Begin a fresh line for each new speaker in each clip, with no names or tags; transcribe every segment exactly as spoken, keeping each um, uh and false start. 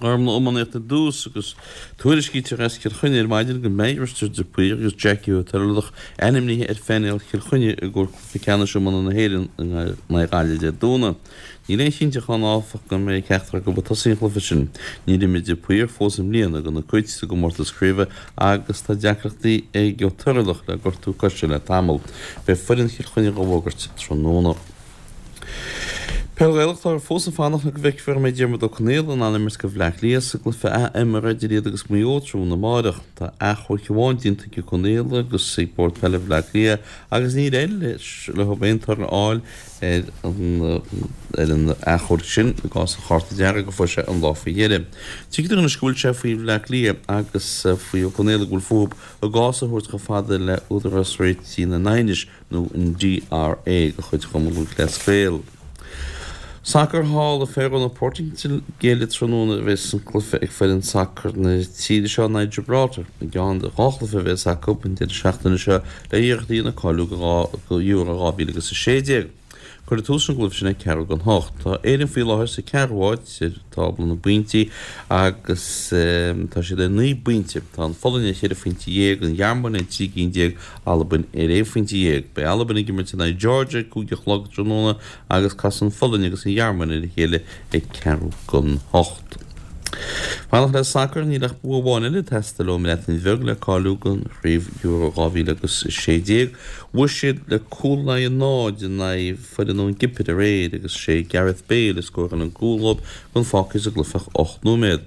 Ghormfhlaith, iománaíocht ar dtús agus tuairiscítear as Cill Chainnigh ar maidin go mbeidh Risteard de Paor agus Jackie Ó Toirealach ainmnithe ar phainéal Chill Chainnigh i gcomhair cluiche ceannais iomána na hÉireann in aghaidh Gaillimh Dé Domhnaigh. Níl aon chinnteacht ann áfach go mbeidh ceachtar acu ag tosaí an chluiche sin. Níor imir de Paor fós i mbliana do na Cait sa gcomórtas craoibhe agus tá deacrachtaí ag Ó Toirealach le gortú coise le tamall. Beidh foireann Chill Chainnigh á bhfógairt tráthnóna. Peil Ghaelach, Táthar fós ag fanacht le go bhfeicfear an mbeidh Diarmuid Ó Conaola in ann imirt do Bhleá Cliath sa gcluiche ath-imeartha idir iad agus Maigh Eo tráthnóna amárach. Tá achomharc amháin déanta ag Ó Conaola agus ag Bord Peile Bhleá Cliath agus níor éirigh leis leo aon toradh a fháil ar an ar an achomharc sin i gcás an chárta dearg a fuair sé an lá faoi dheireadh. Tuigtear anois go bhfuil sé faoi Bhleá Cliath agus faoi Ó Conaola go bhfuil fúthu a gcás a thabhairt chomh fada le Údarás Réitigh na nAighneas nó an DRA de chuid Chumann Lúthchleas Gael. Sacar thall i Faro na Portaingéile tráthnóna a bheas an cluiche ag foireann sacair na tíre seo in aghaidh Gibraltar i gceann de dhá chluiche a bheas acu an deireadh seachtaine seo le iarracht a dhéanamh cáiliú do Euro dhá mhíle agus a sé déag. Cuirfear tús leis an gcluiche sin ag ceathrú don hocht. Tá Éirinn faoi láthair sa ceathrú háit ar tábla na bpointí agus tá siad ar naoi bpointe. Tá an Pholainn ar cheithre phointe dhéag, an Ghearmáin ar trí cinn déag, Albain ar aon phointe dhéag. Beidh Albain ag imirt in aghaidh Georgia ag cúig a chlog tráthnóna agus casfaidh an Pholainn agus an Ghearmáin ar a chéile ag ceathrú don hocht. Fanacht le sacar, níl ach bua amháin eile ag teastáil ón mBreatain Bheag le cáiliú don chraobh Euro dhá mhíle agus a sé déag. Bhuaigh siad le cúl in aghaidh a náid in aghaidh foireann ón gCipir aréir agus sé Gareth Bale a scóráil an cúl dóibh gan fágtha sa gcluiche ach ocht nóiméad.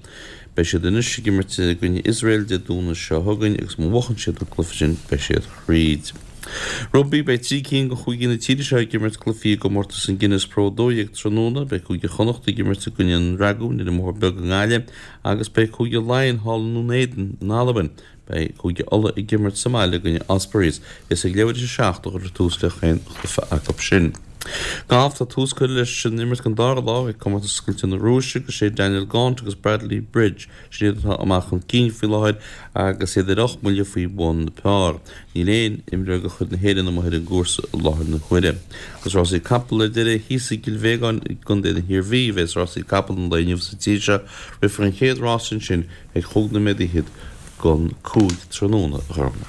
Beidh siad anois ag imirt i gcoinne Iosrael Dé Domhnaigh seo chugainn agus má bhuachann siad an cluiche sin beidh siad thríd. Rugbaí, Beidh trí cinn de chúigí na tíre seo ag imirt cluichí i gcomórtas an Guinness Pro a dó dhéag tráthnóna. Beidh Cúige Chonnacht ag imirt i gcoinne an Dragúin ar an mBóthar Beag i nGaillimh agus beidh Cúige Laighean thall i nDún Éideann in Albain. Beidh Cúige Uladh ag imirt sa mbaile i gcoinne Ospreys. Is ag leathuair tar éis a seacht a chuirfear tús le chaon chluiche acu sin. Galf, Tá tús curtha leis an imirt don dara lá ag Comórtas Oscailte na Rúise agus sé Daniel Gaunt agus Bradley Bridge sin iad atá amach chun cinn faoi láthair agus iad ar ocht mbuille faoi bhun par. Níl aon imreoir de chuid na hÉireann amuigh ar an gcúrsa i láthair na huaire. Agus rásaí capall ar deireadh thíos i gCill Bhéagáin i gContae na hIarmhí a bheas rásaí capall an lae inniu sa tír seo. Rithfear an chéad rás ansin ag chúig nóiméad fhichead don cúig tráthnóna, a Ghormfhlaith.